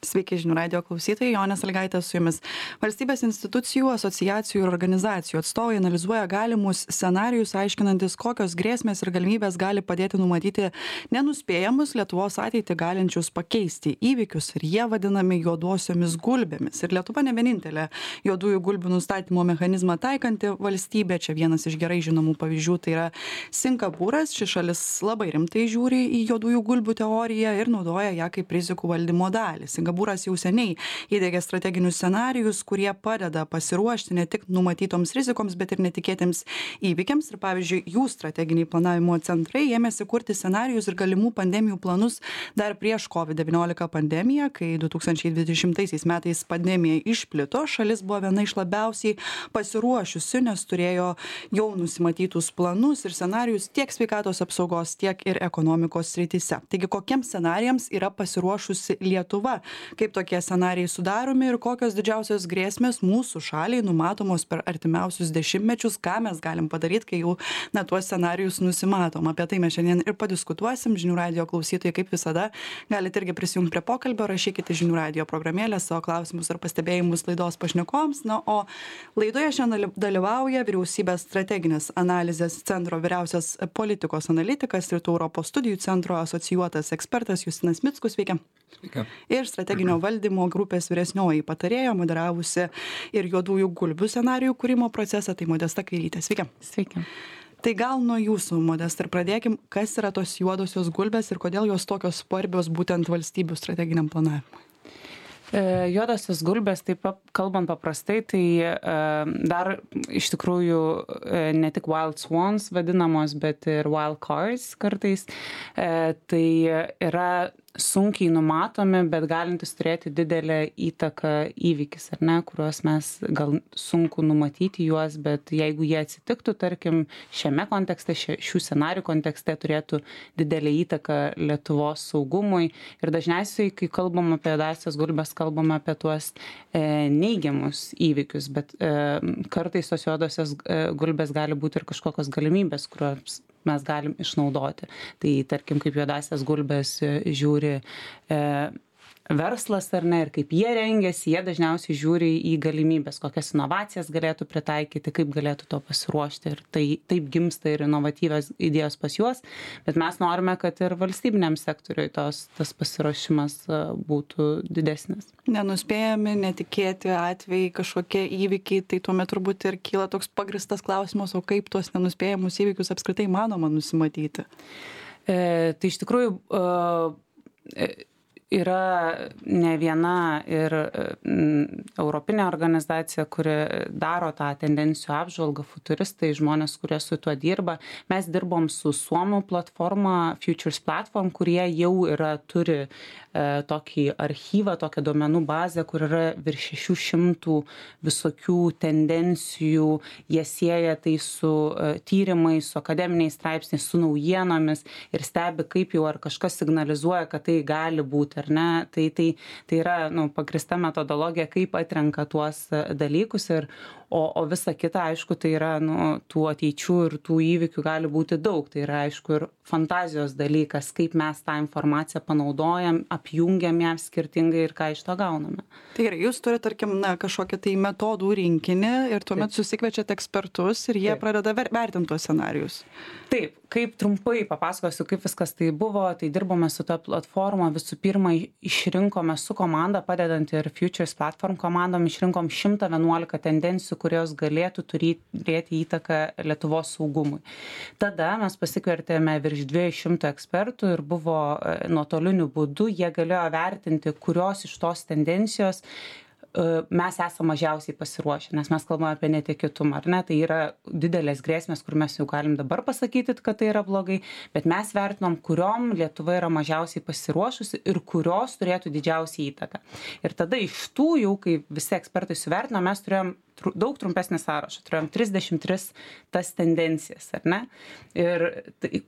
Sveiki žinių radio klausytojai, Jonė Sąlygaitė su jumis. Valstybės institucijų, asociacijų ir organizacijų atstovai analizuoja galimus scenarijus, aiškinantis, kokios grėsmės ir galimybės gali padėti numatyti nenuspėjamus Lietuvos ateitį galinčius pakeisti įvykius, ir jie vadinami juodosiomis gulbėmis. Ir Lietuva ne vienintelė juodųjų gulbių nustatymo mechanizmą taikanti valstybė. Čia vienas iš gerai žinomų pavyzdžių tai yra Singapūras. Ši šalis labai rimtai žiūri į juodųjų gulbių teoriją ir naudoja ją kaip rizikų valdymo dalį. Singapūras jau seniai įdiegė strateginius scenarijus, kurie padeda pasiruošti ne tik numatytoms rizikoms, bet ir netikėtiems įvykiams. Ir pavyzdžiui, jų strateginiai planavimo centrai ėmėsi kurti scenarijus ir galimų pandemijų planus dar prieš COVID-19 pandemiją, kai 2020 metais pandemija išplito. Šalis buvo viena iš labiausiai pasiruošusių, nes turėjo jau nusimatytus planus ir scenarijus tiek sveikatos apsaugos, tiek ir ekonomikos srityse. Taigi, kokiems scenarijams yra pasiruošusi Lietuva? Kaip tokie scenarijai sudaromi ir kokios didžiausios grėsmės mūsų šaliai numatomos per artimiausius dešimtmečius, ką mes galim padaryti, kai jau tuos scenarijus nusimatom. Apie tai mes šiandien ir padiskutuosim. Žinių radio klausytojai, kaip visada, galite irgi prisijungti prie pokalbio, rašykite žinių radio programėlę savo klausimus ar pastebėjimus laidos pašnekovams. Na, o laidoje šiandien dalyvauja Vyriausybės strateginės analizės centro vyriausias politikos analitikas, Rytų Europos studijų centro asocijuotas ekspertas Justinas Mickus. Sveiki. Sveiki. Ir strateginio valdymo grupės vyresnioji patarėja, moderavusi ir juodųjų gulbių scenarijų kūrimo procesą, tai Modesta Kairytė. Sveiki. Sveiki. Tai gal nuo jūsų, Modesta, ir pradėkim, kas yra tos juodosios gulbės ir kodėl jos tokios svarbios būtent valstybių strateginiam planavimui? Juodosios gulbės, taip kalbant paprastai, tai dar iš tikrųjų ne tik wild swans vadinamos, bet ir wild cards kartais. Tai yra sunkiai numatomi, bet galintis turėti didelę įtaką įvykis, ar ne, kuriuos mes gal sunku numatyti juos, bet jeigu jie atsitiktų, tarkim, šiame kontekste, šių scenarijų kontekste turėtų didelę įtaką Lietuvos saugumui. Ir dažniausiai, kai kalbam apie juodąsias gulbės, kalbam apie tuos neigiamus įvykius, bet kartais tos juodosios gulbės gali būti ir kažkokios galimybės, kurios mes galim išnaudoti. Tai tarkim, kaip juodąsias gulbės žiūri verslas ar ne, ir kaip jie rengiasi, jie dažniausiai žiūri į galimybės, kokias inovacijas galėtų pritaikyti, kaip galėtų to pasiruošti. Ir tai taip gimsta ir inovatyvios idėjos pas juos, bet mes norime, kad ir valstybiniam sektoriui tas pasiruošimas būtų didesnis. Nenuspėjami, netikėti atvejai, kažkokie įvykiai, tai tuomet turbūt ir kyla toks pagristas klausimas, o kaip tuos nenuspėjamus įvykius apskritai manoma nusimatyti? Tai iš tikrųjų yra ne viena ir europinė organizacija, kuri daro tą tendencijų apžvalgą, futuristai, žmonės, kurie su tuo dirba. Mes dirbom su Suomių platforma Futures Platform, kurie jau turi tokį archyvą, tokią duomenų bazę, kur yra virš 600 visokių tendencijų. Jie sieja tai su tyrimais, su akademiniais straipsniais, su naujienomis ir stebi, kaip jau ar kažkas signalizuoja, kad tai gali būti, ar ne. Tai yra pagrįsta metodologija, kaip atrenka tuos dalykus, o visa kita, aišku, tai yra tų ateičių ir tų įvykių gali būti daug. Tai yra, aišku, ir fantazijos dalykas, kaip mes tą informaciją panaudojam, apjungiam ją skirtingai ir ką iš to gauname. Tai gerai, jūs turite, tarkim, kažkokią tai metodų rinkinį ir tuomet susikviečiate ekspertus ir jie pradeda vertinti tuos scenarijus. Taip, kaip trumpai papasakosiu, kaip viskas tai buvo, tai dirbome su ta platforma, visų pirma išrinkome su komanda, padedant ir Futures Platform komandom, išrinkom 111 tendencijų, kurios galėtų turėti įtaką Lietuvos saugumui. Tada mes pasikvertėme virš 200 ekspertų ir buvo nuotoliniu būdu, jie galėjo vertinti, kurios iš tos tendencijos mes esame mažiausiai pasiruošę, nes mes kalbame apie netikėtumą, ar ne, tai yra didelės grėsmės, kur mes jau galim dabar pasakyti, kad tai yra blogai, bet mes vertinom, kuriom Lietuva yra mažiausiai pasiruošusi ir kurios turėtų didžiausią įtaką. Ir tada iš tų jau, kai visi ekspertai suvertino, mes turėjom daug trumpesnį sąrašą, turėjom 33 tas tendencijas, ar ne? Ir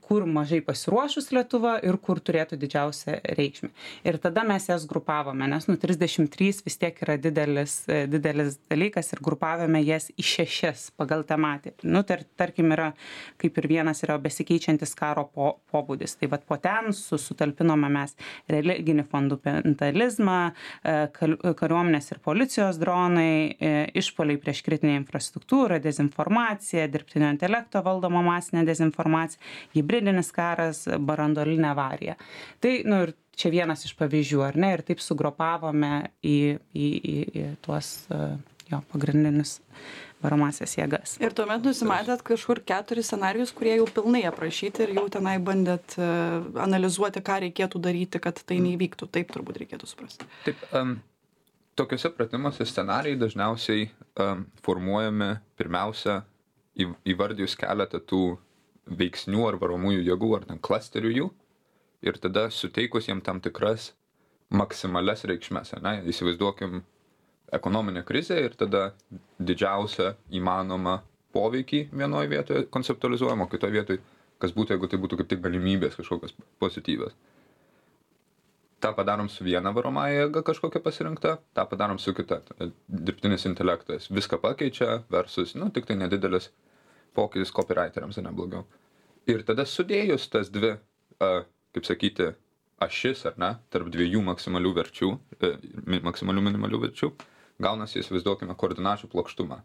kur mažai pasiruošus Lietuva ir kur turėtų didžiausią reikšmę. Ir tada mes jas grupavome, nes 33 vis tiek yra didelis dalykas ir grupavome jas į 6 pagal tematiką. Tarkim, yra, kaip ir vienas yra besikeičiantis karo pobūdis. Tai vat po ten sutalpinome mes religinį fundamentalizmą, kariuomenės ir policijos dronai, išpuoliai prieš kritinę infrastruktūrą, dezinformacija, dirbtinio intelekto valdoma masinė dezinformacija, hibridinis karas, branduolinė avarija. Tai, ir čia vienas iš pavyzdžių, ar ne, ir taip sugrupavome į tuos pagrindinius varomasias jėgas. Ir tuomet nusimatėt kažkur 4 scenarijus, kurie jau pilnai aprašyti ir jau tenai bandėt analizuoti, ką reikėtų daryti, kad tai neįvyktų. Taip turbūt reikėtų suprasti. Taip, tokiuose pratimuose scenarijai dažniausiai formuojami pirmiausia įvardijus keletą tų veiksnių ar varomųjų jėgų ar ten klasterių jų ir tada suteikus jiem tam tikras maksimalias reikšmes. Įsivaizduokim ekonominę krizę ir tada didžiausią įmanomą poveikį vienoje vietoje konceptualizuojama, o kitoje vietoje kas būtų, jeigu tai būtų kaip tik galimybės kažkokios pozityvios. Ta padarom su viena varomąja jėga kažkokia pasirinkta, tą padarom su kita. Dirbtinis intelektas viską pakeičia versus, tik tai nedidelis pokytis copywriteriams, ne blogiau. Ir tada sudėjus tas dvi, kaip sakyti, ašis, ar ne, tarp dviejų maksimalių verčių, maksimalių minimalių verčių, gaunasi, įsivaizduokime, koordinačių plokštumą.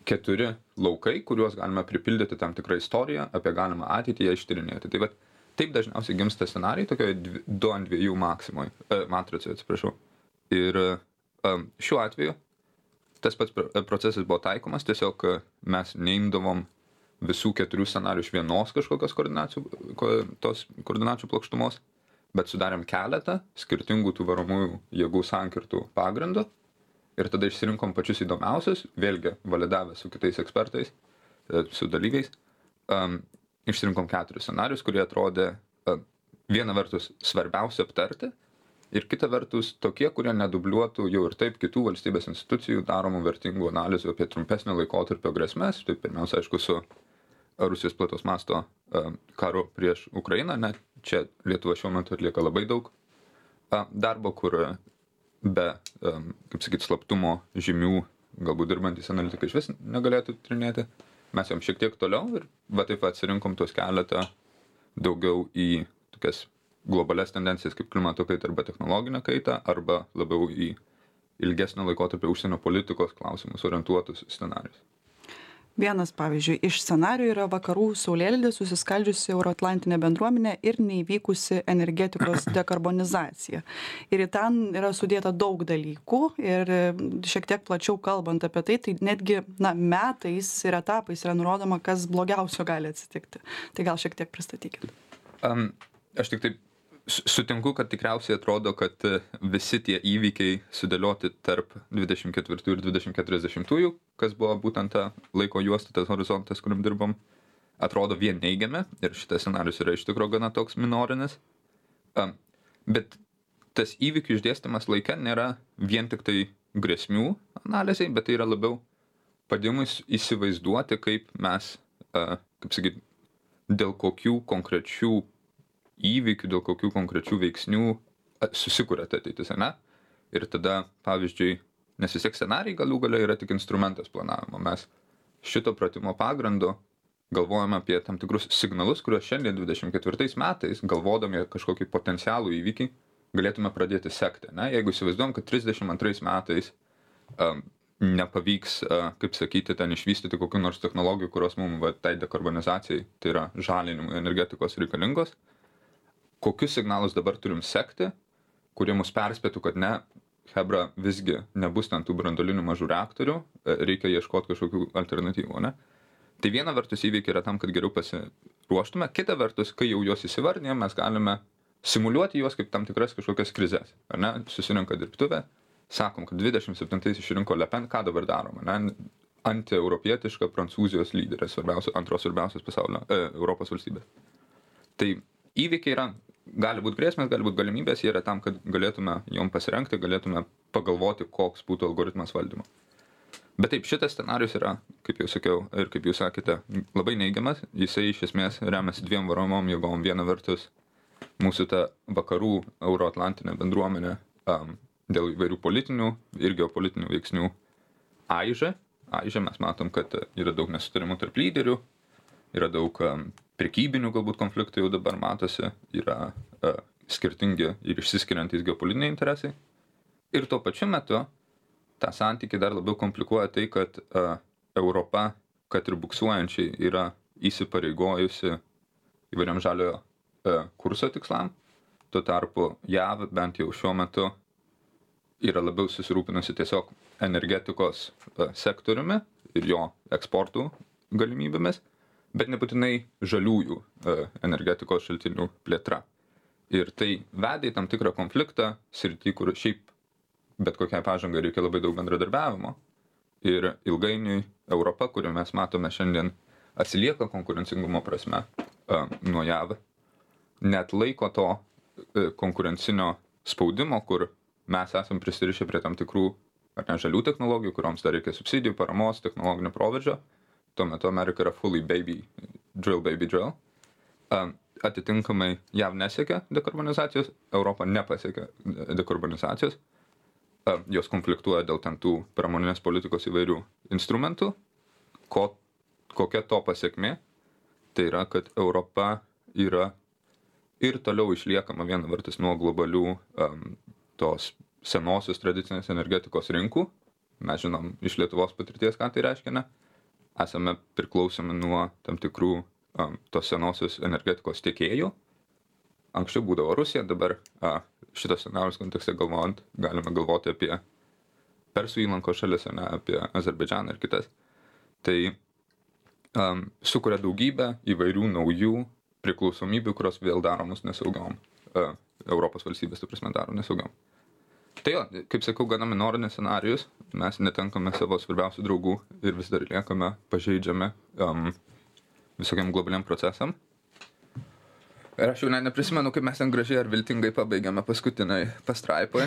4 laukai, kuriuos galime pripildyti tam tikrą istoriją apie galimą ateitį ją ištyrinėti. Tai taip dažniausiai gimsta scenarijai tokioje 2:2 matricoje, atsiprašau. Ir šiuo atveju tas pats procesas buvo taikomas, tiesiog mes neimdavom visų 4 scenarijų iš vienos kažkokios koordinačių plokštumos, bet sudarėm keletą skirtingų tų varomųjų jėgų sankirtų pagrindų ir tada išsirinkom pačius įdomiausius, vėlgi validavę su kitais ekspertais, su dalyviais. Išsirinkom 4 scenarius, kurie atrodė viena vertus svarbiausia aptarti ir kita vertus tokie, kurie nedubliuotų jau ir taip kitų valstybės institucijų daromų vertingų analizių apie trumpesnio laikotarpio grėsmes. Tai pirmiausia, aišku, su Rusijos plataus masto karu prieš Ukrainą. Čia Lietuva šiuo metu atlieka labai daug darbo, kur be, kaip sakyti, slaptumo žymių, galbūt dirbantys analitikai iš vis negalėtų tyrinėti. Mes jom šiek tiek toliau ir taip atsirinkom tuos keletą daugiau į tokias globalias tendencijas kaip klimato kaita arba technologinę kaitą, arba labiau į ilgesnio laikotarpio užsienio politikos klausimus orientuotus scenarijus. Vienas, pavyzdžiui, iš scenarijų yra vakarų saulėlydis, susiskaldžiusi euroatlantinė bendruomenė ir neįvykusi energetikos dekarbonizacija. Ir į ten yra sudėta daug dalykų ir šiek tiek plačiau kalbant apie tai, tai netgi metais ir etapais yra nurodoma, kas blogiausio gali atsitikti. Tai gal šiek tiek pristatykite. Aš tik taip sutinku, kad tikriausiai atrodo, kad visi tie įvykiai sudėlioti tarp 24 ir 2040, kas buvo būtent ta laiko juosta, tas horizontas, kuriam dirbom, atrodo vien neigiami ir šitas scenarius yra iš tikrųjų gana toks minorinis. Bet tas įvykių išdėstymas laike nėra vien tik tai grėsmių analizai, bet tai yra labiau padėjimus įsivaizduoti, kaip mes, kaip sakyti, dėl kokių konkrečių įvykių, dėl kokių konkrečių veiksnių susikuria ta ateitis, ne? Ir tada, pavyzdžiui, nes vis tiek scenarijai galų gale yra tik instrumentas planavimo. Mes šito pratimo pagrindu galvojame apie tam tikrus signalus, kuriuos šiandien 24 metais, galvodami kažkokį potencialų įvykį, galėtume pradėti sekti, ne? Jeigu įsivaizduojam, kad 32 metais nepavyks, kaip sakyti, ten išvystyti kokių nors technologijų, kurios mums tai dekarbonizacijai, tai yra žalinimui energetikos reikalingos, kokius signalus dabar turim sekti, kurie mus perspėtų, kad ne, hebra, visgi nebus ten tų branduolinių mažų reaktorių, reikia ieškoti kažkokių alternatyvų, ne? Tai viena vertus įvykiai yra tam, kad geriau pasiruoštume, kita vertus, kai jau juos įsivardinėm, mes galime simuliuoti juos kaip tam tikras kažkokias krizes, ar ne? Susirinka dirbtuvė, sakom, kad 27 išrinko Le Pen, ką dabar darom, ne? Antieuropietiška Prancūzijos lyderė, antros svarbiausios pasaulio, Europos valstybės. Tai įvykiai yra, gali būti grėsmės, gali būti galimybės, jie yra tam, kad galėtume jom pasirengti, galėtume pagalvoti, koks būtų algoritmas valdymo. Bet taip, šitas scenarius yra, kaip jau sakiau, ir kaip jūs sakėte, labai neigiamas. Jisai iš esmės remiasi dviem varomom jėgom. Viena vertus mūsų ta vakarų euroatlantinė bendruomenė dėl įvairių politinių ir geopolitinių veiksnių aižė. Mes matom, kad yra daug nesutarimų tarp lyderių, yra daug prekybinių galbūt konfliktų jau dabar matosi, yra skirtingi ir išsiskiriantys geopolitiniai interesai. Ir tuo pačiu metu tą santykį dar labiau komplikuoja tai, kad Europa, kad ir buksuojančiai, yra įsipareigojusi įvairiam žaliojo kurso tikslam. Tuo tarpu JAV bent jau šiuo metu yra labiau susirūpinusi tiesiog energetikos sektoriumi ir jo eksportų galimybėmis, bet nebūtinai žaliųjų energetikos šaltinių plėtra. Ir tai vedė į tam tikrą konfliktą srity, kur šiaip bet kokiai pažangai reikia labai daug bendradarbiavimo. Ir ilgainiui Europa, kurią mes matome šiandien, atsilieka konkurencingumo prasme nuo JAV, net laiko to konkurencinio spaudimo, kur mes esam prisirišę prie tam tikrų ar ne žalių technologijų, kurioms dar reikia subsidijų, paramos, technologinio proveržio. Tuo metu Amerika yra fully baby drill. Atitinkamai JAV nesiekia dekarbonizacijos, Europa nepasiekia dekarbonizacijos. Jos konfliktuoja dėl ten tų pramoninės politikos įvairių instrumentų. Kokia to pasiekmė? Tai yra, kad Europa yra ir toliau išliekama viena vertus nuo globalių tos senosios tradicinės energetikos rinkų. Mes žinom iš Lietuvos patirties, ką tai reiškia, ne? Esame priklausomi nuo tam tikrų tos senosios energetikos tiekėjų. Anksčiau būdavo Rusija, dabar šitos scenarijos kontekste galvojant, galime galvoti apie Persų įlankos šalis, ne apie Azerbaidžaną ir kitas. Tai sukuria daugybę įvairių naujų priklausomybių, kurios vėl daro mus nesaugiom. Europos valstybės, tai prasme, daro nesaugiom. Tai jo, kaip sakau, gana minorinis scenarijus, mes netenkame savo svarbiausių draugų ir vis dar liekame pažeidžiami visokiam globaliam procesam. Ir aš jau neprisimenu, kaip mes ten gražiai ar viltingai pabaigėme paskutiniai pastraipoje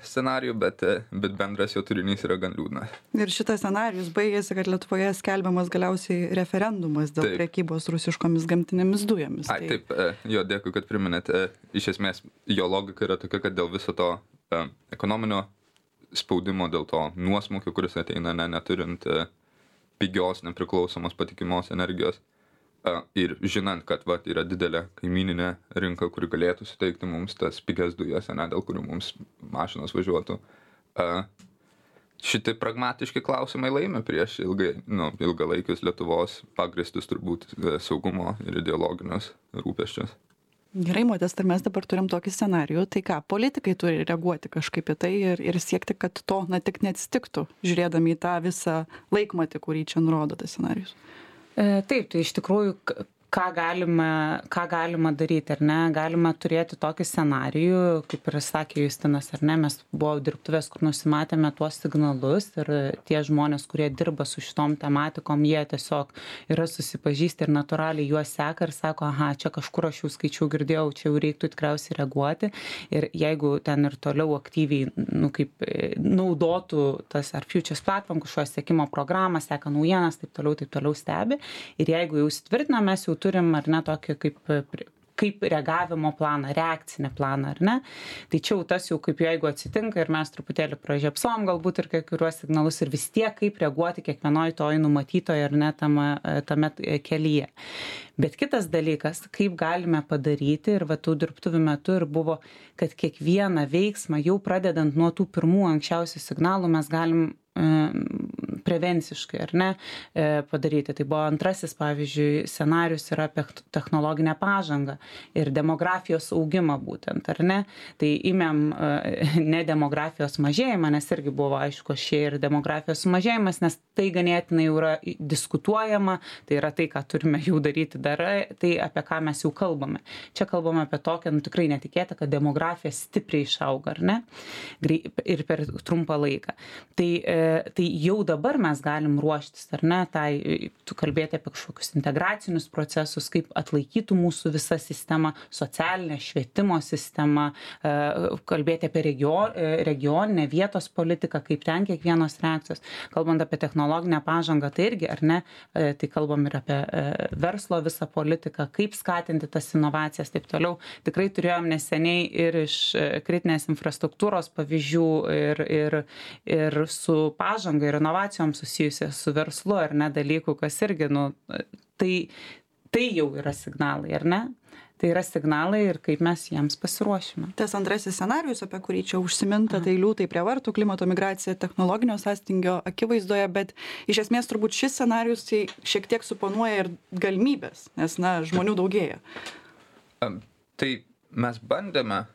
scenarijų, bet bendras jo turinys yra gan liūdnas. Ir šitas scenarijus baigėsi, kad Lietuvoje skelbiamas galiausiai referendumas dėl prekybos rusiškomis gamtinėmis dujomis. Taip, jo, dėkui, kad priminėte. Iš esmės, jo logika yra tokia, kad dėl viso to ekonominio spaudimo, dėl to nuosmukio, kuris ateina neturint pigios, nepriklausomos, patikimos energijos, ir žinant, kad yra didelė kaimyninė rinka, kuri galėtų suteikti mums tas pigias dujas, dėl kurių mums mašinos važiuotų. Šitai pragmatiški klausimai laimi prieš ilgalaikius Lietuvos pagrįstus turbūt saugumo ir ideologinius rūpesčius. Gerai, Modesta, mes dabar turim tokį scenarijų, tai ką, politikai turi reaguoti kažkaip į tai ir siekti, kad to tik neatsitiktų, žiūrėdami į tą visą laikmatį, kurį čia nurodo tas scenarijus. Taip, tai iš tikrųjų, ką galima daryti, ar ne? Galima turėti tokį scenarijų, kaip ir sakė Justinas, ar ne? Mes buvo dirbtuvės, kur nusimatėme tuos signalus ir tie žmonės, kurie dirba su šitom tematikom, jie tiesiog yra susipažįsti ir natūraliai juos seka ir sako, aha, čia kažkur aš jau skaičiau, girdėjau, čia jau reiktų tikriausiai reaguoti. Ir jeigu ten ir toliau aktyviai, kaip naudotų tas ar Futures Platform, kažkokios sekimo programą, seka naujienas, taip toliau stebi. Ir jeigu jau įsitvirtina, mes jau turim, ar ne, tokį kaip reagavimo planą, reakcinį planą, ar ne? Tai čia jau tas jau kaip jeigu atsitinka ir mes truputėlį pražiopsom galbūt ir kai kuriuos signalus ir vis tiek kaip reaguoti kiekvienoj toj numatytoj, ar ne, tame kelyje. Bet kitas dalykas, kaip galime padaryti ir tų dirbtuvių metu ir buvo, kad kiekvieną veiksmą jau pradedant nuo tų pirmų anksčiausių signalų mes galim prevenciškai, ar ne, padaryti. Tai buvo antrasis, pavyzdžiui, scenarius yra apie technologinę pažangą ir demografijos augimą būtent, ar ne. Tai imėm ne demografijos mažėjimą, nes irgi buvo aišku šie ir demografijos sumažėjimas, nes tai ganėtinai jau yra diskutuojama, tai yra tai, ką turime jau daryti tai apie ką mes jau kalbame. Čia kalbame apie tokią, tikrai netikėtą, kad demografija stipriai išauga, ar ne, ir per trumpą laiką. Tai jau dabar mes galim ruoštis, ar ne, tai tu kalbėti apie kažkokius integracinius procesus, kaip atlaikytų mūsų visa sistema, socialinė švietimo sistema, kalbėti apie regioninę vietos politiką, kaip ten kiekvienos reakcijos. Kalbant apie technologinę pažangą, tai irgi, ar ne, tai kalbam ir apie verslo visą politiką, kaip skatinti tas inovacijas, taip toliau. Tikrai turėjom neseniai ir iš kritinės infrastruktūros pavyzdžių ir su pažanga ir inovacijom susijusia su verslu, ar ne, dalykų, kas irgi, tai jau yra signalai, ar ne? Tai yra signalai ir kaip mes jiems pasiruošime. Tas antrasis scenarijus, apie kurį čia užsiminta, tai liūtai prie vartų, klimato migracija, technologinio sąstingio akivaizdoje, bet iš esmės turbūt šis scenarijus tai šiek tiek suponuoja ir galimybės, nes, žmonių daugėja. Tai mes bandėme,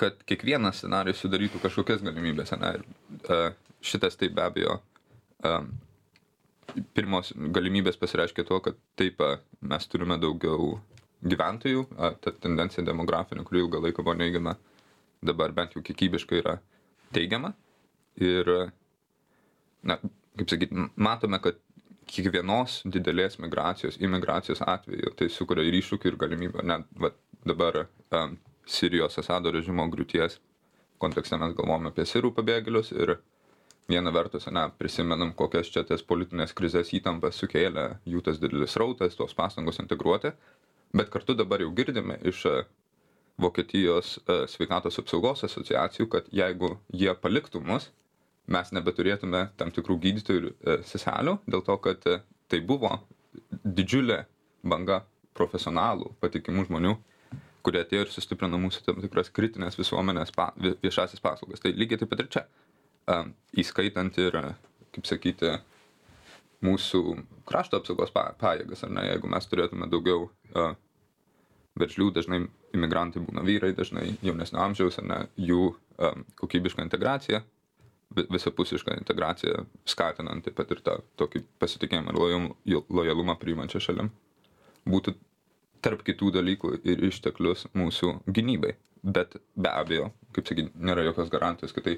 kad kiekvienas scenarijus sudarytų kažkokias galimybės. Šitas tai be abejo pirmos galimybės pasireiškia tuo, kad taip mes turime daugiau gyventojų, ta tendencija demografinė, kuri ilgą laiką buvo neigiama, dabar bent jau kiekybiškai yra teigiama. Ir, kaip sakyti, matome, kad kiekvienos didelės imigracijos atveju tai sukuria ir iššūkių, ir galimybę. Net dabar Sirijos Asado režimo griūties kontekste mes galvojame apie sirų pabėgėlius ir viena vertus, prisimenam, kokias čia tas politinės krizės įtampas sukėlė jų tas didelis rautas, tos pastangos integruoti, bet kartu dabar jau girdime iš Vokietijos sveikatos apsaugos asociacijų, kad jeigu jie paliktų mus, mes nebeturėtume tam tikrų gydytojų ir seselių, dėl to, kad tai buvo didžiulė banga profesionalų, patikimų žmonių, kurie atėjo ir sustiprino mūsų tam tikras kritinės visuomenės viešasis paslaugas. Tai lygiai taip pat ir čia, įskaitant ir, kaip sakyti, mūsų krašto apsaugos pajėgas, ar ne, jeigu mes turėtume daugiau veržlių, dažnai imigrantai būna vyrai, dažnai jaunesnio amžiaus, ar ne, jų kokybišką integraciją, visapusišką integraciją skatinant taip pat ir tą tokį pasitikėjimą ir lojalumą priimančią šalim, būtų tarp kitų dalykų ir išteklius mūsų gynybai. Bet be abejo, kaip sakyti, nėra jokios garantijos, kad tai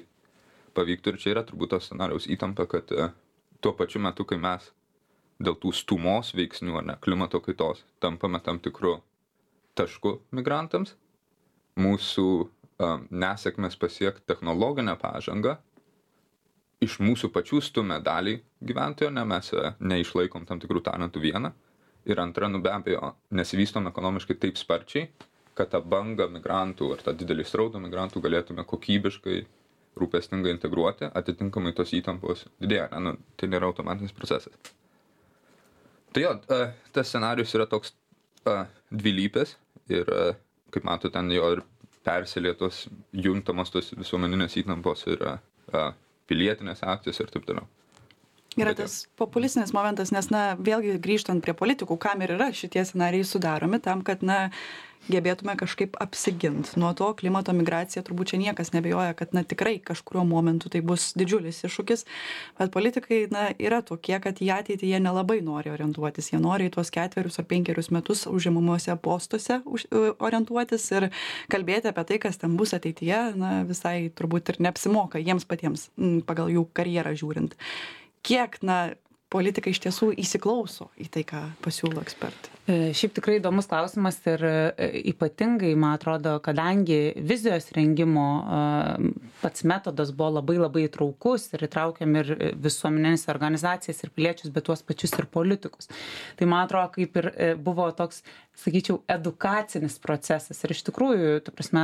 pavyktų ir čia yra turbūt tos scenarijaus įtampa, kad tuo pačiu metu, kai mes dėl tų stūmos veiksnių, ar ne, klimato kaitos, tampame tam tikru tašku migrantams, mūsų nesėkmės pasiekti technologinę pažangą iš mūsų pačių stumia dalį gyventojo, mes neišlaikom tam tikrų talentų vieną. Ir antra, be abejo, nesivystom ekonomiškai taip sparčiai, kad tą bangą migrantų ar tą didelį srautą migrantų galėtume kokybiškai, rūpestingai integruoti, atitinkamai tos įtampos didėja. Tai nėra automatinis procesas. Tai jo, tas scenarijus yra toks dvilypis ir, kaip matote, ten jo ir persilietos, juntamos tos visuomeninės įtampos ir pilietinės akcijos ir taip toliau. Yra tas populistinis momentas, nes, vėlgi grįžtant prie politikų, kam ir yra šitie scenarijai sudaromi, tam, kad, gebėtume kažkaip apsiginti. Nuo to klimato migracija turbūt čia niekas nebejoja, kad, tikrai kažkuriuo momentu tai bus didžiulis iššūkis, bet politikai, yra tokie, kad į ateitį jie nelabai nori orientuotis. Jie nori į tuos 4 ar 5 metus užimamuose postuose orientuotis ir kalbėti apie tai, kas ten bus ateityje, visai turbūt ir neapsimoka jiems patiems pagal jų karjerą žiūrint. Kiek, politikai iš tiesų įsiklauso į tai, ką pasiūlo ekspertai? Šiaip tikrai įdomus klausimas ir ypatingai, man atrodo, kadangi vizijos rengimo pats metodas buvo labai įtraukus ir įtraukiam ir visuomeninės organizacijas ir piliečius, bet tuos pačius ir politikus. Tai man atrodo, kaip ir buvo toks, sakyčiau, edukacinis procesas. Ir iš tikrųjų, ta prasme,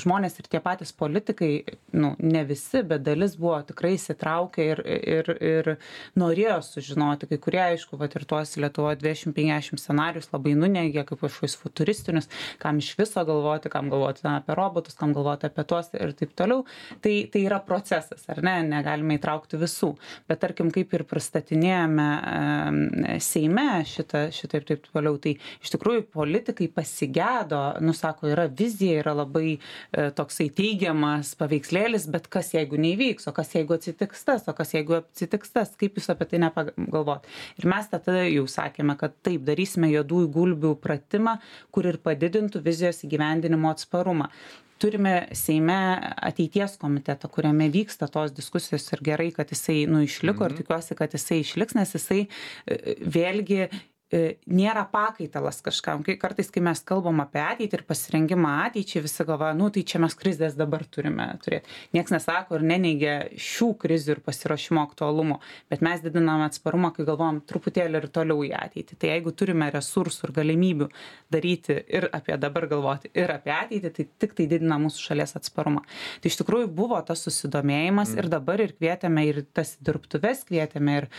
žmonės ir tie patys politikai, ne visi, bet dalis buvo tikrai įsitraukę ir norėjo sužinoti, kai kurie, aišku, ir tuos Lietuvoje 250 scenarijus labai nuneigia kaip kažkokius futuristinius, kam iš viso galvoti, kam galvoti apie robotus, kam galvoti apie tuos ir taip toliau. Tai yra procesas, ar ne? Negalime įtraukti visų. Bet tarkim, kaip ir pristatinėjome Seime šitą ir taip toliau, tai iš tikrųjų politikai pasigedo, sako, yra vizija, yra labai toksai teigiamas paveikslėlis, bet kas jeigu neįvyks, o kas jeigu atsitiks tas, kaip jūs apie tai nepagalvot. Ir mes tada jau sakėme, kad taip, darysime juodų juodųjų gulbių pratimą, kur ir padidintų vizijos įgyvendinimo atsparumą. Turime Seime ateities komitetą, kuriame vyksta tos diskusijos ir gerai, kad jisai išliko ir tikiuosi, kad jisai išliks, nes jisai vėlgi nėra pakaitalas kažkam. Kartais, kai mes kalbam apie ateitį ir pasirengimą ateičiai, visi galvoja, tai čia mes krizės dabar turime turėti. Niekas nesako ir neneigia šių krizių ir pasiruošimo aktualumo, bet mes didiname atsparumą, kai galvom truputėlį ir toliau į ateitį. Tai jeigu turime resursų ir galimybių daryti ir apie dabar galvoti, ir apie ateitį, tai tik tai didina mūsų šalies atsparumą. Tai iš tikrųjų buvo tas susidomėjimas ir dabar ir kvietėme ir tas dirbtuves kvietėme ir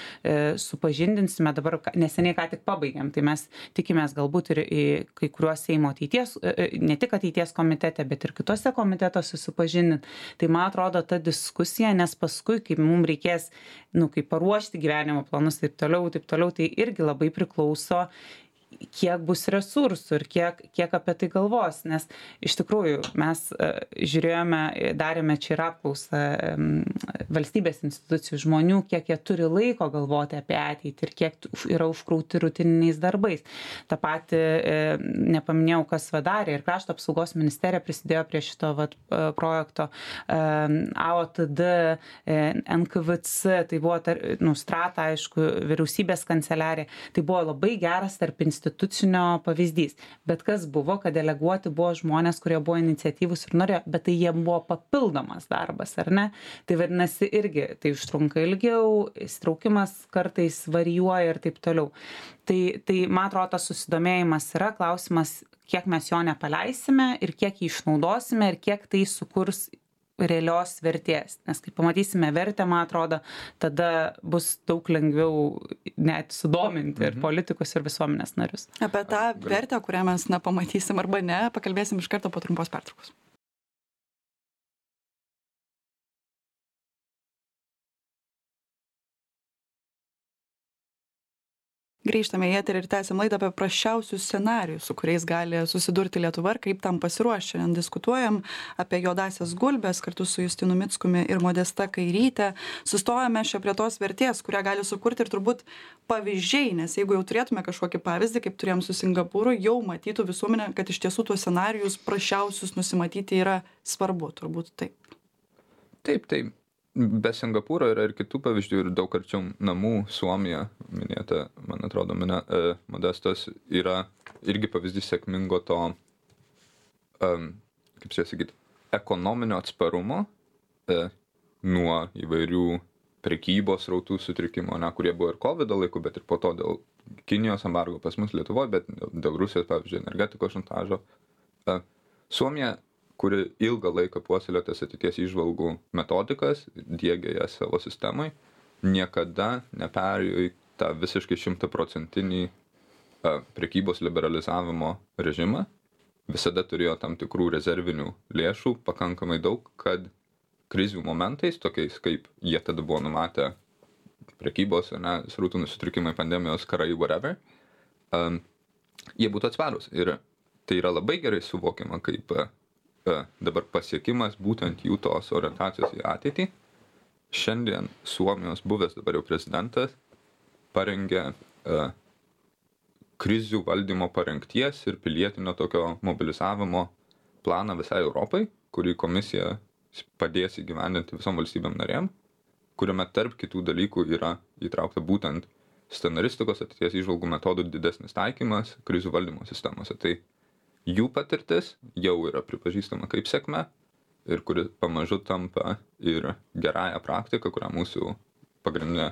supažindinsime dabar, neseniai ką tik pabaigėm, tai mes tikimės galbūt ir į kai kuriuos Seimo ateities, ne tik ateities komitete, bet ir kitose komitetuose susipažindinti. Tai man atrodo ta diskusija, nes paskui, kai mums reikės, kaip paruošti gyvenimo planus taip toliau, tai irgi labai priklauso, kiek bus resursų ir kiek apie tai galvos, nes iš tikrųjų mes žiūrėjome, darėme čia ir apklausą valstybės institucijų žmonių, kiek jie turi laiko galvoti apie ateitį ir kiek yra užkrauti rutininiais darbais. Ta pati, nepaminėjau, kas darė ir Krašto apsaugos ministerija prisidėjo prie šito projekto, AOTD, NKVC, tai buvo Strata, aišku, vyriausybės kanceliarija, tai buvo labai geras tarp institucinio pavyzdys. Bet kas buvo, kad deleguoti buvo žmonės, kurie buvo iniciatyvūs ir norėjo, bet tai jie buvo papildomas darbas, ar ne? Tai vadinasi irgi, tai užtrunka ilgiau, įsitraukimas kartais varijuoja ir taip toliau. Tai man atrodo, tas susidomėjimas yra klausimas, kiek mes jo nepaleisime ir kiek jį išnaudosime ir kiek tai sukurs realios vertės. Nes kai pamatysime vertę, man atrodo, tada bus daug lengviau net sudominti ir politikus, ir visuomenės narius. Apie tą vertę, kurią mes pamatysim arba ne, pakalbėsim iš karto po trumpos pertraukos. Grįžtame į eterį ir tęsiam laidą apie prasčiausius scenarijus, su kuriais gali susidurti Lietuva ir kaip tam pasiruošti. Šiandien diskutuojam apie juodasias gulbes kartu su Justinu Mickumi ir Modesta Kairyte. Sustojame čia prie tos vertės, kurią gali sukurti ir turbūt pavyzdžiai, nes jeigu jau turėtume kažkokį pavyzdį, kaip turėjom su Singapūru, jau matytų visuomenė, kad iš tiesų tuos scenarijus prasčiausius nusimatyti yra svarbu, turbūt taip. Taip. Be Singapūro yra ir kitų pavyzdžių ir daug arčiau namų. Suomija, minėta, man atrodo, Modestos, yra irgi pavyzdys sėkmingo to, kaip čia sakyti, ekonominio atsparumo nuo įvairių prekybos srautų sutrikimo, kurie buvo ir COVID laiku, bet ir po to dėl Kinijos embargo pas mus Lietuvoje, bet dėl Rusijos, pavyzdžiui, energetikos šantažo. Suomija, kuri ilgą laiką puoselėjo tas ateities įžvalgų metodikas, diegė jas savo sistemai, niekada neperėjo į tą visiškai 100% prekybos liberalizavimo režimą. Visada turėjo tam tikrų rezervinių lėšų, pakankamai daug, kad krizių momentais, tokiais kaip jie tada buvo numatę prekybos, srautų sutrikimai, pandemijos, karai, whatever, jie būtų atsparūs. Ir tai yra labai gerai suvokiama kaip dabar pasiekimas būtent jų tos orientacijos į ateitį. Šiandien Suomijos buvęs dabar jau prezidentas parengė krizių valdymo parengties ir pilietinio tokio mobilizavimo planą visai Europai, kurį komisija padės įgyvendinti visom valstybėm narėm, kuriame tarp kitų dalykų yra įtraukta būtent scenaristikos ateities įžvalgų metodų didesnis taikymas krizių valdymo sistemose. Tai jų patirtis jau yra pripažįstama kaip sėkmė ir kuri pamažu tampa ir gerąją praktiką, kurią mūsų pagrindinė,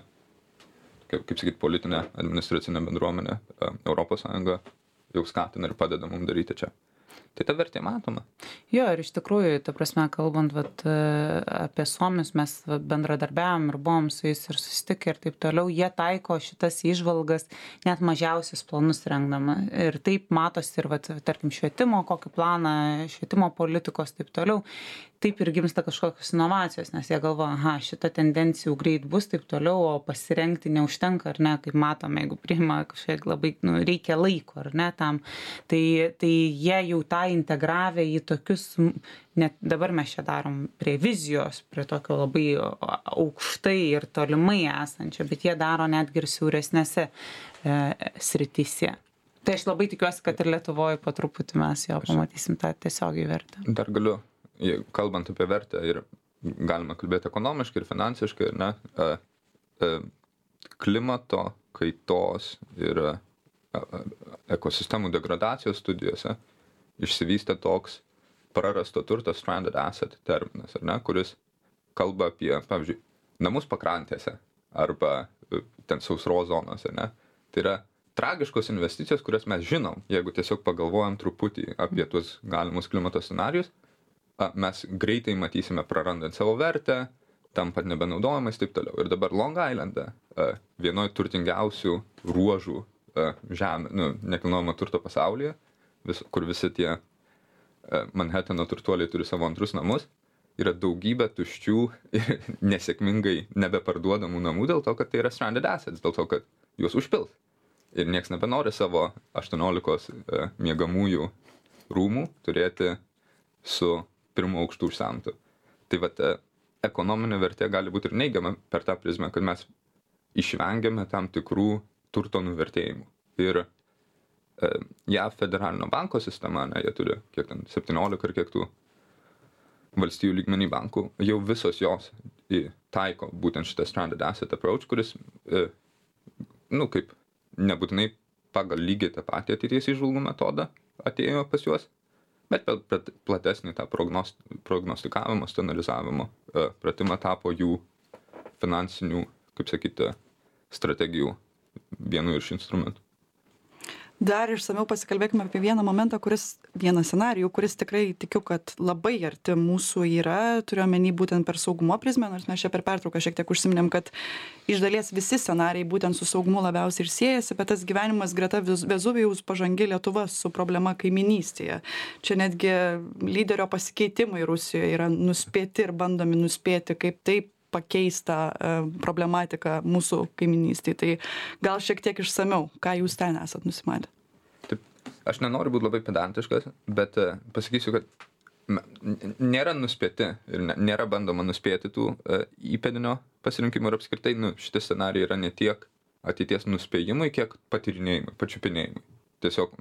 kaip sakyti, politinė administracinė bendruomenė Europos Sąjunga jau skatina ir padeda mums daryti čia. Tai ta vertė matoma. Jo, ir iš tikrųjų, ta prasme, kalbant apie suomius, mes bendradarbiavom ir buvom su jais ir susitikę ir taip toliau, jie taiko šitas įžvalgas net mažiausius planus rengdama. Ir taip matosi ir, tarkim, švietimo, kokį planą, švietimo politikos, taip toliau. Taip ir gimsta kažkokios inovacijos, nes jie galvoja, šita tendencijų greit bus, taip toliau, o pasirengti neužtenka, ar ne, kaip matome, jeigu priima kažkiek labai, reikia laiko, ar ne, tam. Tai jie jau tą integravę į tokius, net dabar mes čia darom prie vizijos, prie tokio labai aukštai ir tolimai esančio, bet jie daro netgi ir siauresnėse srityse. Tai aš labai tikiuosi, kad ir Lietuvoje po truputį mes jo pamatysim tą tiesiogiai vertę. Dar galiu, kalbant apie vertę, ir galima kalbėti ekonomiškai ir finansiškai, ne, klimato kaitos ir ekosistemų degradacijos studijose išsivystė toks prarasto turto stranded asset terminas, ar ne, kuris kalba apie, pavyzdžiui, namus pakrantėse arba ten sausros zonose, ne. Tai yra tragiškos investicijos, kurias mes žinom, jeigu tiesiog pagalvojam truputį apie tuos galimus klimato scenarijus, mes greitai matysime prarandant savo vertę, tampant nebenaudojamais, taip toliau. Ir dabar Long Islande, vienoje turtingiausių ruožų žemė, nekilnojamo turto pasaulyje, kur visi tie Manhattano turtuoliai turi savo antrus namus, yra daugybė tuščių ir nesėkmingai nebeparduodamų namų dėl to, kad tai yra stranded assets, dėl to, kad juos užpils. Ir nieks nebenori savo 18 miegamųjų rūmų turėti su pirmo aukštu užsemtu. Tai vat, ekonominė vertė gali būti ir neigiama per tą prizmę, kad mes išvengiame tam tikrų turto nuvertėjimų. Ir JAV federalinio banko sistema, jie turi kiek ten 17 ar kiek tų valstijų lygmenį bankų, jau visos jos taiko būtent šitą stranded asset approach, kuris, kaip nebūtinai pagal lygiai tą patį ateities įžvalgų metodą atėjo pas juos, bet platesnį tą prognostikavimo, scenarizavimo pratimą tapo jų finansinių, kaip sakyti, strategijų vienu iš instrumentų. Dar išsamiau pasikalbėkime apie vieną momentą, vieną scenarijų, kuris tikrai tikiu, kad labai arti mūsų yra, turiu omeny būtent per saugumo prizmę, nors mes čia per pertrauką šiek tiek užsiminėm, kad iš dalies visi scenarijai būtent su saugumu labiausiai ir siejasi, bet tas gyvenimas greta Vezuvijaus pažangi Lietuva su problema kaiminystėje. Čia netgi lyderio pasikeitimai Rusijoje yra nuspėti ir bandomi nuspėti, kaip taip pakeista problematika mūsų kaiminystėje. Tai gal šiek tiek išsamiau, ką jūs ten esat nusimatę? Taip, aš nenoriu būti labai pedantiškas, bet pasakysiu, kad nėra nuspėti ir nėra bandoma nuspėti tų įpėdinio pasirinkimų ir apskritai šitie scenarijai yra ne tiek ateities nuspėjimai, kiek patyrinėjimai, pačiupinėjimai. Tiesiog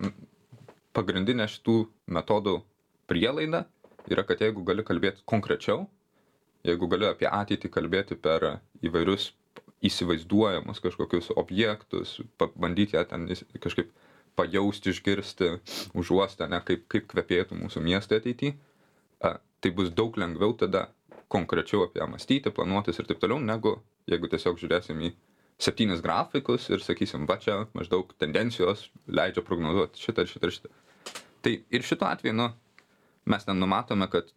pagrindinė šitų metodų prielaida yra, kad jeigu gali kalbėti konkrečiau, jeigu gali apie ateitį kalbėti per įvairius įsivaizduojamus kažkokius objektus, bandyti ją ten kažkaip pajausti, išgirsti, užuosti, kaip kvepėtų mūsų miestai ateityje, tai bus daug lengviau tada konkrečiau apie ją mąstyti, planuotis ir taip toliau, negu jeigu tiesiog žiūrėsim į 7 grafikus ir sakysim, va čia maždaug tendencijos leidžia prognozuoti šitą ir šitą ir šitą. Tai ir šituo atveju, mes ten numatome, kad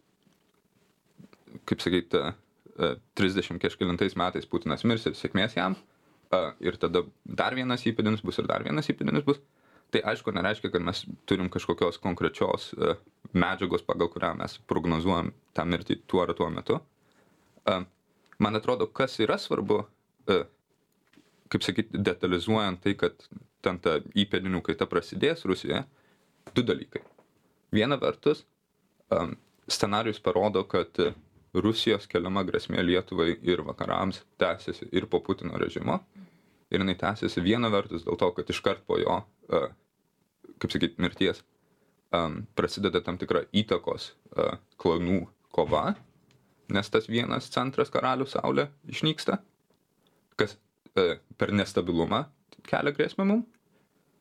kaip sakyti, 30 kažkelintais metais Putinas mirs ir sėkmės jam, ir tada dar vienas įpėdinis bus ir dar vienas įpėdinis bus. Tai aišku, nereiškia, kad mes turim kažkokios konkrečios medžiagos, pagal kurią mes prognozuojam tą mirtį tuo ar tuo metu. Man atrodo, kas yra svarbu, kaip sakyti, detalizuojant tai, kad ten ta įpėdinių kaita prasidės Rusijoje, 2 dalykai. Viena vertus, scenarijus parodo, kad Rusijos keliama grėsmė Lietuvai ir vakarams tęsiasi ir po Putino režimo. Ir jinai tęsiasi viena vertus dėl to, kad iškart po jo, kaip sakyti, mirties prasideda tam tikra įtakos klanų kova, nes tas vienas centras karalių saulė išnyksta, kas per nestabilumą kelia grėsmę mum.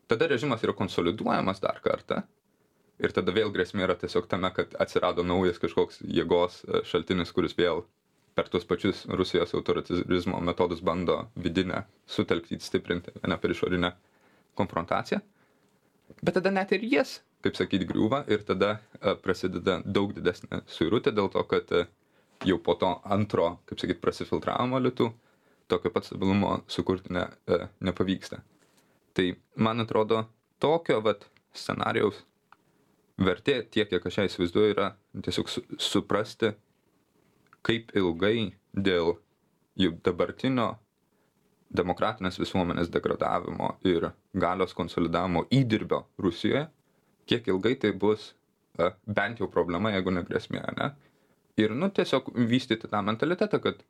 Tada režimas yra konsoliduojamas dar kartą. Ir tada vėl grėsmė yra tiesiog tame, kad atsirado naujas kažkoks jėgos šaltinis, kuris vėl per tuos pačius Rusijos autoritarizmo metodus bando vidinę sutelkti, stiprinti, ne per išorinę konfrontaciją. Bet tada net ir jis, kaip sakyti, griūva ir tada prasideda daug didesnė suirutė dėl to, kad jau po to antro, kaip sakyti, prasifiltravimo litų tokio pat stabilumo sukurti nepavyksta. Tai, man atrodo, tokio scenarijaus vertė, tiek, kiek aš ją įsivaizduoju, yra tiesiog suprasti, kaip ilgai dėl jų dabartinio demokratinės visuomenės degradavimo ir galios konsolidavimo įdirbio Rusijoje, kiek ilgai tai bus bent jau problema, jeigu ne grėsmė, ne? Ir, tiesiog vystyti tą mentalitetą, kad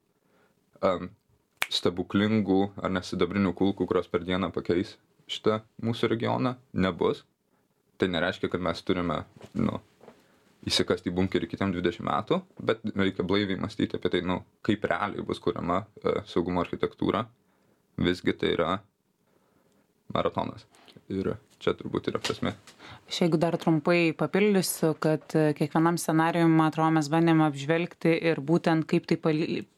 stebuklingų ar nesidabrinių kulkų, kurios per dieną pakeis šitą mūsų regioną, nebus. Tai nereiškia, kad mes turime, įsikasti į bunkerį kitiem 20 metų, bet reikia blaiviai mąstyti apie tai, kaip realiai bus kuriama saugumo architektūra. Visgi tai yra maratonas. Ir čia turbūt yra prasmė. Aš jeigu dar trumpai papildysiu, kad kiekvienam scenarijui, man atrodo, mes bandėme apžvelgti ir būtent kaip tai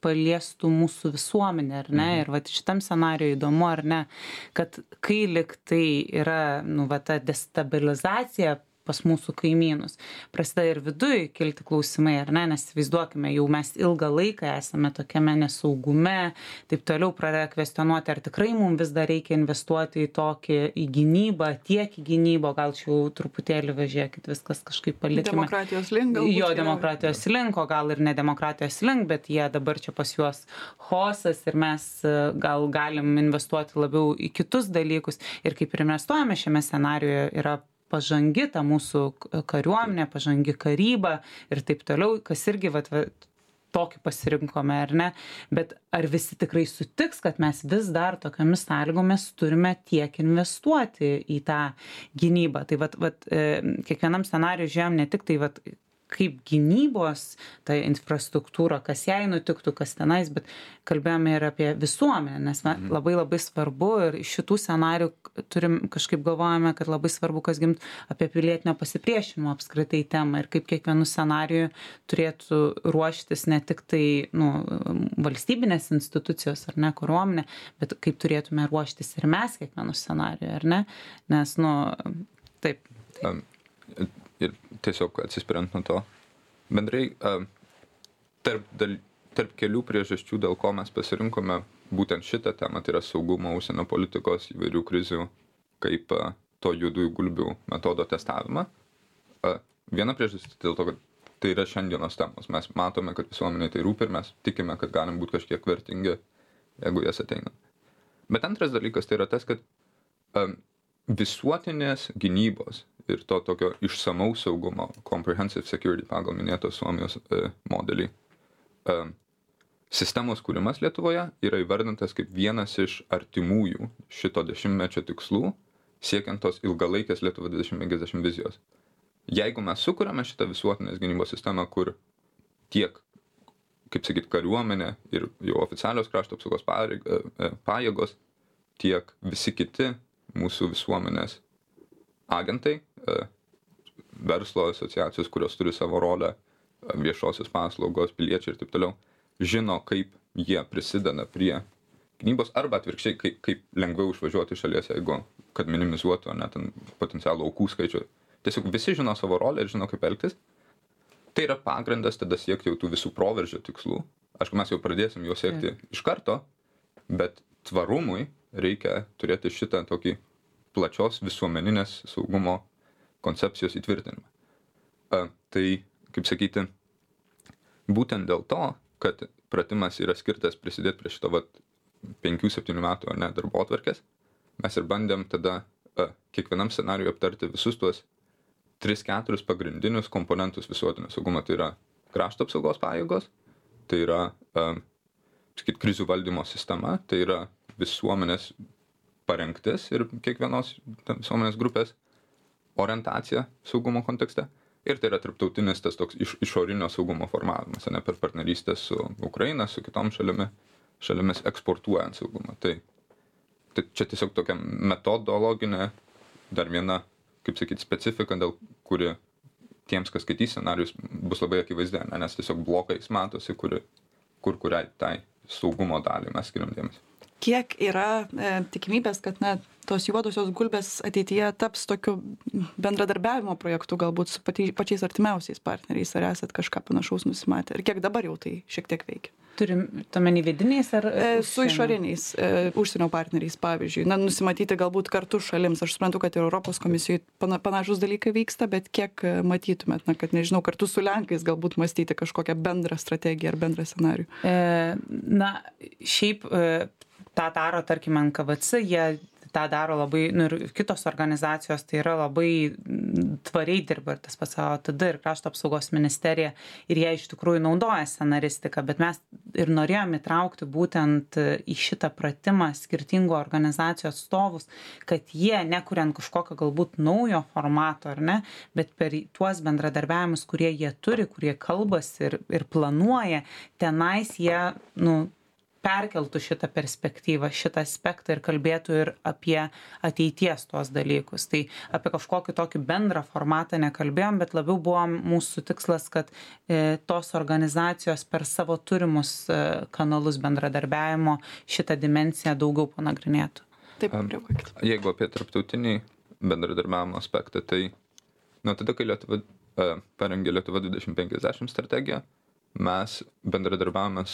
paliestų mūsų visuomenę, ar ne? Ir vat šitam scenarijui įdomu, ar ne, kad kai lik tai yra, ta destabilizacija pas mūsų kaimynus, prasideda ir viduj kilti klausimai, ar ne, nes įsivaizduokime, jau mes ilgą laiką esame tokiame nesaugume, taip toliau pradeda kvestionuoti, ar tikrai mums vis dar reikia investuoti į gynybą, tiek į gynybą, gal čia jau truputėlį važiuokit, viskas kažkaip palikime. Demokratijos link galbūt. Jo, demokratijos link, o gal ir ne demokratijos link, bet jie dabar čia pas juos chaosas ir mes gal galim investuoti labiau į kitus dalykus. Ir kaip ir investuojame šiame scenarijoje yra pažangi ta mūsų kariuomenė, pažangi karyba ir taip toliau, kas irgi tokį pasirinkome, ar ne? Bet ar visi tikrai sutiks, kad mes vis dar tokiamis sąlygomis turime tiek investuoti į tą gynybą? Tai kiekvienam scenarijui žiūrėjom ne tik tai kaip gynybos, ta infrastruktūra, kas jai nutiktų, kas tenais, bet kalbėjome ir apie visuomenę, nes labai labai svarbu ir iš šitų scenarijų kažkaip galvojame, kad labai svarbu, kas gimt apie pilietinio pasipriešinimo apskritai temą ir kaip kiekvienu scenariju turėtų ruoštis ne tik tai valstybinės institucijos ar ne, kariuomenė, bet kaip turėtume ruoštis ir mes kiekvienu scenariju, ar ne? Nes, taip. Ir tiesiog atsispiriant nuo to, bendrai tarp kelių priežasčių, dėl ko mes pasirinkome būtent šitą temą, tai yra saugumo, užsienio politikos, įvairių krizių, kaip to juodųjų gulbių metodo testavimą. Viena priežastis dėl to, kad tai yra šiandienos temos. Mes matome, kad visuomenė tai rūpi ir mes tikime, kad galim būti kažkiek vertingi, jeigu jas ateina. Bet antras dalykas tai yra tas, kad visuotinės gynybos ir to tokio išsamaus saugumo, comprehensive security pagal minėto Suomijos modelį, sistemos kūrimas Lietuvoje yra įvardintas kaip vienas iš artimųjų šito 10-mečio tikslų, siekiant tos ilgalaikės Lietuva 2050 vizijos. Jeigu mes sukuriame šitą visuotinės gynybos sistemą, kur tiek, kaip sakyt, kariuomenė ir jau oficialios krašto apsaugos pajėgos, tiek visi kiti mūsų visuomenės agentai, verslo asociacijos, kurios turi savo rolę, viešosios paslaugos, piliečiai ir taip toliau, žino, kaip jie prisideda prie gynybos arba atvirkščiai, kaip lengviau išvažiuoti iš šalies, jeigu kad minimizuotų net potencialų aukų skaičių. Tiesiog visi žino savo rolę ir žino, kaip elgtis. Tai yra pagrindas tada siekti jau tų visų proveržio tikslų. Aišku, mes jau pradėsim juos siekti iš karto, bet tvarumui reikia turėti šitą tokį plačios visuomeninės saugumo koncepcijos įtvirtinimą. Tai, kaip sakyti, būtent dėl to, kad pratimas yra skirtas prisidėti prie šito 5-7 metų darbotvarkės, mes ir bandėm tada kiekvienam scenarijui aptarti visus tuos 3-4 pagrindinius komponentus visuotinio saugumo. Tai yra krašto apsaugos pajėgos, tai yra krizių valdymo sistema, tai yra visuomenės parengtis ir kiekvienos visuomenės grupės orientacija saugumo kontekste. Ir tai yra tarptautinis tas toks išorinio saugumo formavimas, ne per partnerystę su Ukraina, su kitom šalimis eksportuojant saugumą. Tai čia tiesiog tokia metodologinė, dar viena, kaip sakyti, specifika, dėl kuri tiems, kas skaitys scenarius, bus labai akivaizdė, nes tiesiog blokais matosi, kuriai tai saugumo dalį mes skiriam dėmesį. Kiek yra tikimybės, kad tos juodosios gulbės ateityje taps tokiu bendradarbiavimo projektu galbūt su pačiais artimiausiais partneriais, ar esat kažką panašaus nusimatę? Ir kiek dabar jau tai šiek tiek veikia? Turim tuomenį vidiniais ar su išoriniais užsienio partneriais, pavyzdžiui. Nusimatyti galbūt kartu šalims. Aš suprantu, kad ir Europos komisijoje panašus dalykai vyksta, bet kiek matytumėt, kad nežinau, kartu su Lenkais galbūt mąstyti kažkokią bendrą strategiją ar bendrą scenarijų? Šiaip tą daro, tarkim, NKVC, jie tą daro labai, ir kitos organizacijos, tai yra labai tvariai dirba ir tas pats OTD ir Krašto apsaugos ministerija ir jie iš tikrųjų naudoja scenaristiką, bet mes ir norėjom įtraukti būtent į šitą pratimą skirtingų organizacijų atstovus, kad jie, nekuriant kažkokio galbūt naujo formato, ar ne, bet per tuos bendradarbiavimus, kurie jie turi, kurie kalbasi ir planuoja, tenais jie, perkeltų šitą perspektyvą, šitą aspektą ir kalbėtų ir apie ateities tuos dalykus. Tai apie kažkokį tokį bendrą formatą nekalbėjom, bet labiau buvo mūsų tikslas, kad tos organizacijos per savo turimus kanalus bendradarbiavimo šitą dimensiją daugiau panagrinėtų. Taip, reaguokit. Jeigu apie tarptautinį bendradarbiavimo aspektą, tai tada, kai Lietuva parengė Lietuva 2050 strategiją, mes bendradarbiavome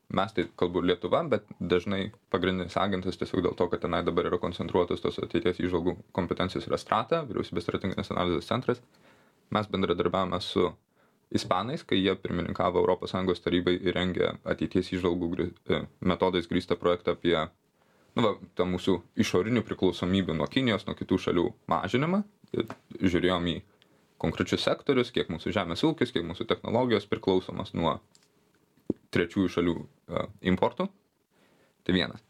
mes tai kalbu Lietuva, bet dažnai pagrindinis agentas tiesiog dėl to, kad tenai dabar yra koncentruotas tos ateities įžvalgų kompetencijos yra Strata, vyriausybės strateginės analizės centras. Mes bendradarbiavome su ispanais, kai jie pirmininkavo ES tarybai ir rengė ateities įžvalgų metodais grįstą projektą apie tą mūsų išorinių priklausomybių nuo Kinijos, nuo kitų šalių mažinimą. Žiūrėjom į konkrečius sektorius, kiek mūsų žemės ūkis, kiek mūsų technologijos priklausomas nuo trečiųjų šalių importų. Tai vienas.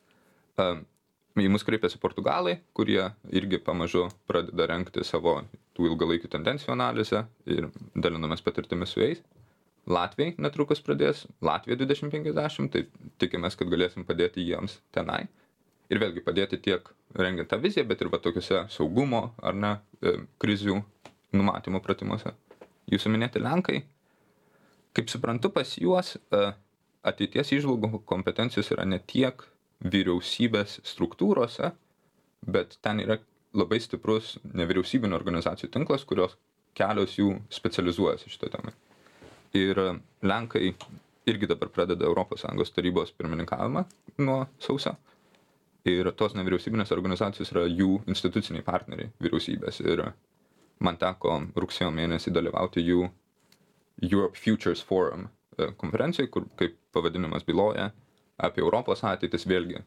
Į mus kreipėsi Portugalai, kurie irgi pamažu pradeda rengti savo tų ilgalaikių tendencijų analizę ir dalinamės patirtimis su jais. Latvijai netrukus pradės, Latvija 2050, tai tikimės, kad galėsim padėti jiems tenai. Ir vėlgi padėti tiek rengiant tą viziją, bet ir tokiuose saugumo ar ne krizių numatymo pratimuose. Jūsų minėti Lenkai, kaip suprantu, pas juos ateities įžvalgų kompetencijos yra ne tiek vyriausybės struktūrose, bet ten yra labai stiprus nevyriausybinių organizacijų tinklas, kurios kelios jų specializuojasi šitą temą. Ir Lenkai irgi dabar pradeda ES tarybos pirmininkavimą nuo sausio. Ir tos nevyriausybinės organizacijos yra jų instituciniai partneriai vyriausybės. Ir man teko rugsėjo mėnesį dalyvauti jų Europe Futures Forum konferencijai, kur, kaip pavadinimas byloja, apie Europos ateitis vėlgi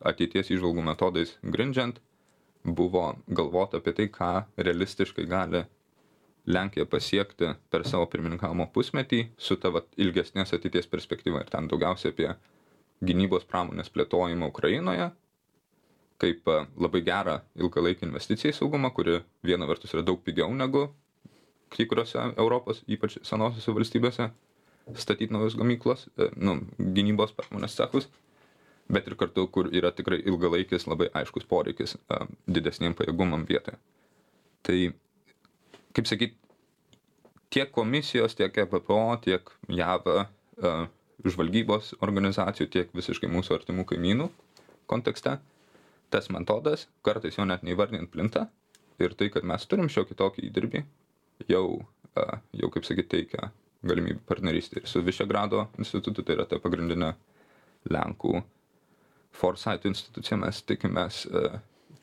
ateities įžvalgų metodais grindžiant, buvo galvota apie tai, ką realistiškai gali Lenkija pasiekti per savo pirmininkavimo pusmetį su ta ilgesnės ateities perspektyva. Ir ten daugiausiai apie gynybos pramonės plėtojimą Ukrainoje, kaip labai gerą ilgalaikį investiciją į saugumą, kuri viena vertus yra daug pigiau negu kai kuriuose Europos, ypač senosiuose valstybėse, statyti naujus gamyklos, gynybos pramonės cechus, bet ir kartu, kur yra tikrai ilgalaikis, labai aiškus poreikis didesniem pajėgumam vietoje. Tai, kaip sakyt, tiek komisijos, tiek EBPO, tiek JAV žvalgybos organizacijų, tiek visiškai mūsų artimų kaimynų kontekste, tas metodas, kartais jo net neįvardinant plinta, ir tai, kad mes turim šiokį tokį įdirbį, jau kaip sakyt, teikia galimybę partnerystę. Ir su Višegrado institutu, tai yra ta pagrindinė Lenkų Foresight institucija, mes tikimės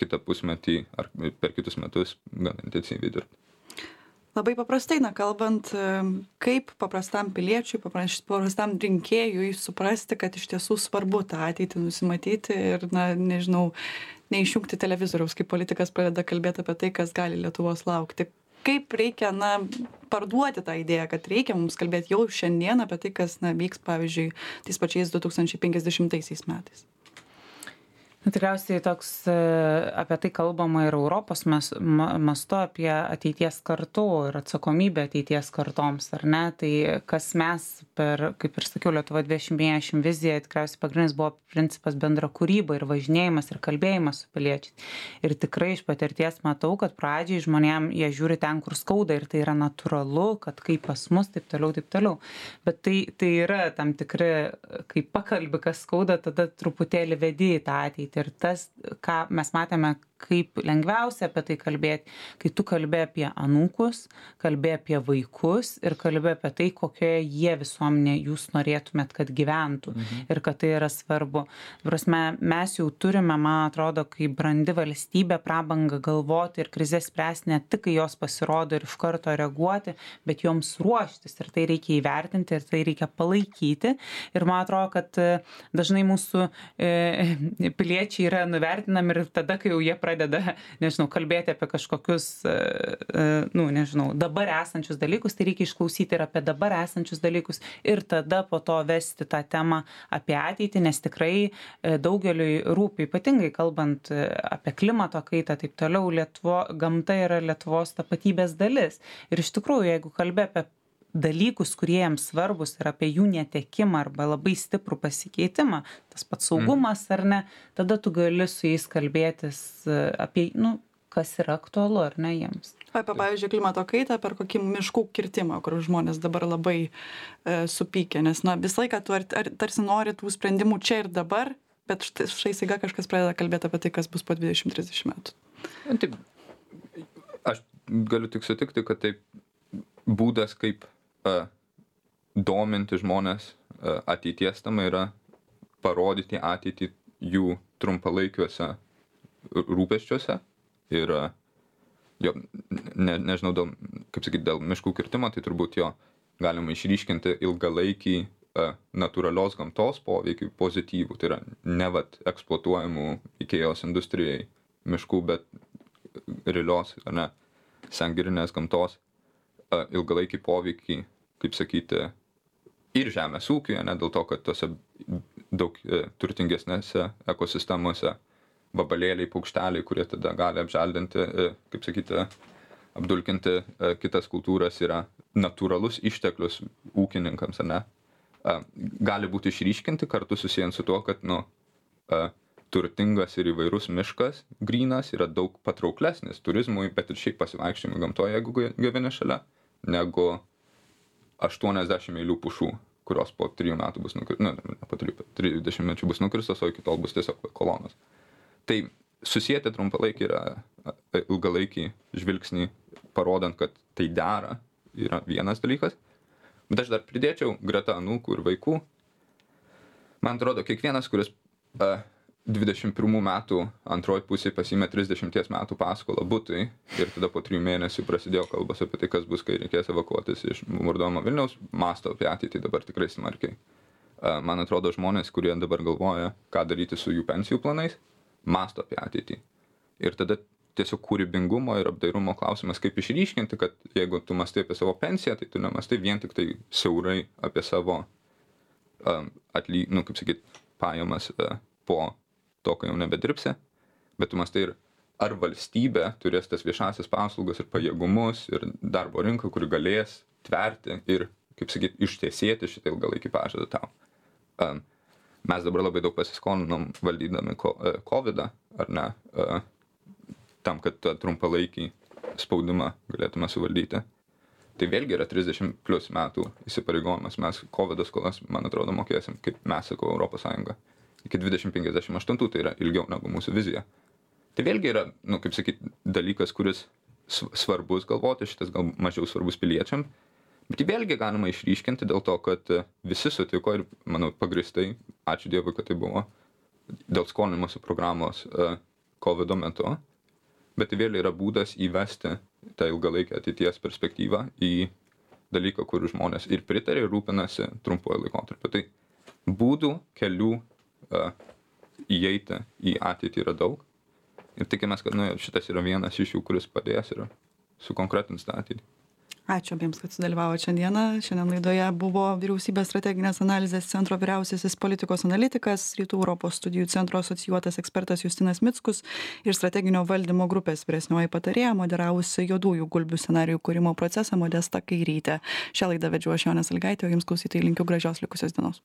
kitą pusmetį ar per kitus metus gan intensyviai dirbti. Labai paprastai, kalbant, kaip paprastam piliečiui, paprastam rinkėjui suprasti, kad iš tiesų svarbu tą ateitį nusimatyti ir, neišjungti televizoriaus, kai politikas pradeda kalbėti apie tai, kas gali Lietuvos laukti. Kaip reikia, parduoti tą idėją, kad reikia mums kalbėti jau šiandien apie tai, kas, vyks, pavyzdžiui, tais pačiais 2050 metais. Tikriausiai toks apie tai kalbama ir Europos mastu apie ateities kartų ir atsakomybę ateities kartoms, ar ne? Tai kas mes kaip ir sakiau, Lietuva 2050 vizija, tikriausiai pagrindinis buvo principas bendra kūryba ir važinėjimas ir kalbėjimas su piliečiais. Ir tikrai iš patirties matau, kad pradžiai žmonėm jie žiūri ten, kur skauda ir tai yra natūralu, kad kaip pas mus, taip toliau. Bet tai yra tam tikri, kai pakalbi, kas skauda, tada truputėlį vedi į tą ateitį. Ir tas, ką mes matėme, kaip lengviausia apie tai kalbėti, kai tu kalbė apie anūkus, kalbė apie vaikus ir kalbė apie tai, kokioje jie visuomenė jūs norėtumėt, kad gyventų ir kad tai yra svarbu. Prasme, mes jau turime, man atrodo, kaip brandi valstybė prabangą galvoti ir krizės spręsti ne tik, kai jos pasirodo ir iš karto reaguoti, bet joms ruoštis ir tai reikia įvertinti ir tai reikia palaikyti. Ir man atrodo, kad dažnai mūsų piliečiai piliečiai yra nuvertinami ir tada, kai jau jie pradeda, nežinau, kalbėti apie kažkokius, nežinau, dabar esančius dalykus, tai reikia išklausyti ir apie dabar esančius dalykus ir tada po to vesti tą temą apie ateitį, nes tikrai daugeliui rūpi, ypatingai kalbant apie klimato kaitą, taip toliau, gamta yra Lietuvos tapatybės dalis. Ir iš tikrųjų, jeigu kalbė apie dalykus, kurie jiems svarbus ir apie jų netekimą arba labai stiprų pasikeitimą, tas pats saugumas ar ne, tada tu gali su jais kalbėtis apie, kas yra aktualu ar ne jiems. Apie, pavyzdžiui, klimato kaitą per kokį miškų kirtimą, kur žmonės dabar labai supykę, nes visą laiką tu tarsi nori tų sprendimų čia ir dabar, bet štai staiga kažkas pradeda kalbėti apie tai, kas bus po 20-30 metų. Taip, aš galiu tik sutikti, kad taip būdas, kaip dominti žmonės ateities tam yra parodyti ateitį jų trumpalaikiuose rūpesčiuose ir nežinau, dėl miškų kirtimo, tai turbūt jo galima išryškinti ilgalaikį natūralios gamtos poveikį pozityvų, tai yra ne eksploatuojamų Ikėjos industrijai miškų, bet realios, ar ne, sengerinės gamtos ilgalaikį poveikį, kaip sakyti, ir žemės ūkiuje, ne dėl to, kad tose daug turtingesnėse ekosistemose vabalėliai, paukšteliai, kurie tada gali apželdinti, kaip sakyti, apdulkinti kitas kultūras, yra natūralus išteklius ūkininkams, ar ne, gali būti išryškinti kartu susijęs su tuo, kad, turtingas ir įvairus miškas, grynas, yra daug patrauklesnis turizmui, bet ir šiaip pasivaikščiojimui gamtoje, jeigu gyveni šalia, negu 80 eilių pušų, kurios po 3 metų bus po 30 metų bus nukirstos, o iki tol bus tiesiog kolonos. Tai susijęti trumpalaikį yra ilgalaikį žvilgsnį, parodant, kad tai dera, yra vienas dalykas. Bet aš dar pridėčiau greta anūkų ir vaikų. Man atrodo, kiekvienas, kuris 21 metų antroji pusė pasiėmė 30 metų paskolą butui ir tada po 3 mėnesių prasidėjo kalbas apie tai, kas bus, kai reikės evakuotis iš bombarduojamo Vilniaus, mąsto apie ateitį dabar tikrai smarkiai. Man atrodo, žmonės, kurie dabar galvoja, ką daryti su jų pensijų planais, mąsto apie ateitį. Ir tada tiesiog kūrybingumo ir apdairumo klausimas, kaip išryškinti, kad jeigu tu mąstai apie savo pensiją, tai tu nemąstai vien tik tai siaurai apie savo pajamas po to, kai jau nebedirbsi, bet tu mąstai ir ar valstybė turės tas viešasias paslaugas ir pajėgumus ir darbo rinką, kuri galės tverti ir, ištiesėti šitą ilgalaikį pažadą tau. Mes dabar labai daug pasiskolinom valdydami COVID-ą, ar ne, tam, kad tą trumpalaikį spaudimą galėtume suvaldyti. Tai vėlgi yra 30 plus metų įsipareigojimas. Mes COVID skolas, man atrodo, mokėsim, kaip mes, sakau, Europos Sąjunga. Iki 2058, tai yra ilgiau negu mūsų vizija. Tai vėlgi yra, dalykas, kuris svarbus galvoti, šitas gal mažiau svarbus piliečiam, bet jį vėlgi galima išryškinti dėl to, kad visi sutiko ir, manau, pagristai, ačiū Dievui, kad tai buvo, dėl skolinimosi programos COVID metu, bet tai vėlgi yra būdas įvesti tą ilgalaikę ateities perspektyvą į dalyką, kur žmonės ir pritarė, ir rūpinasi trumpuoju laikotarpiu. Tai būdų, kelių įeiti į ateitį yra daug ir tikimės, kad šitas yra vienas iš jų, kuris padės ir sukonkretins tą ateitį. Ačiū abiems, kad sudalyvavote šiandieną. Šiandien laidoje buvo Vyriausybės strateginės analizės centro vyriausiasis politikos analitikas, Rytų Europos studijų centro asocijuotas ekspertas Justinas Mickus ir strateginio valdymo grupės vyresnioji patarėja, moderavusi juodųjų gulbių scenarijų kūrimo procesą Modesta Kairytė. Šią laidą vedžiau aš, Jonė Sąlygaitė, o jums klausytojai linkiu gražios likusios dienos.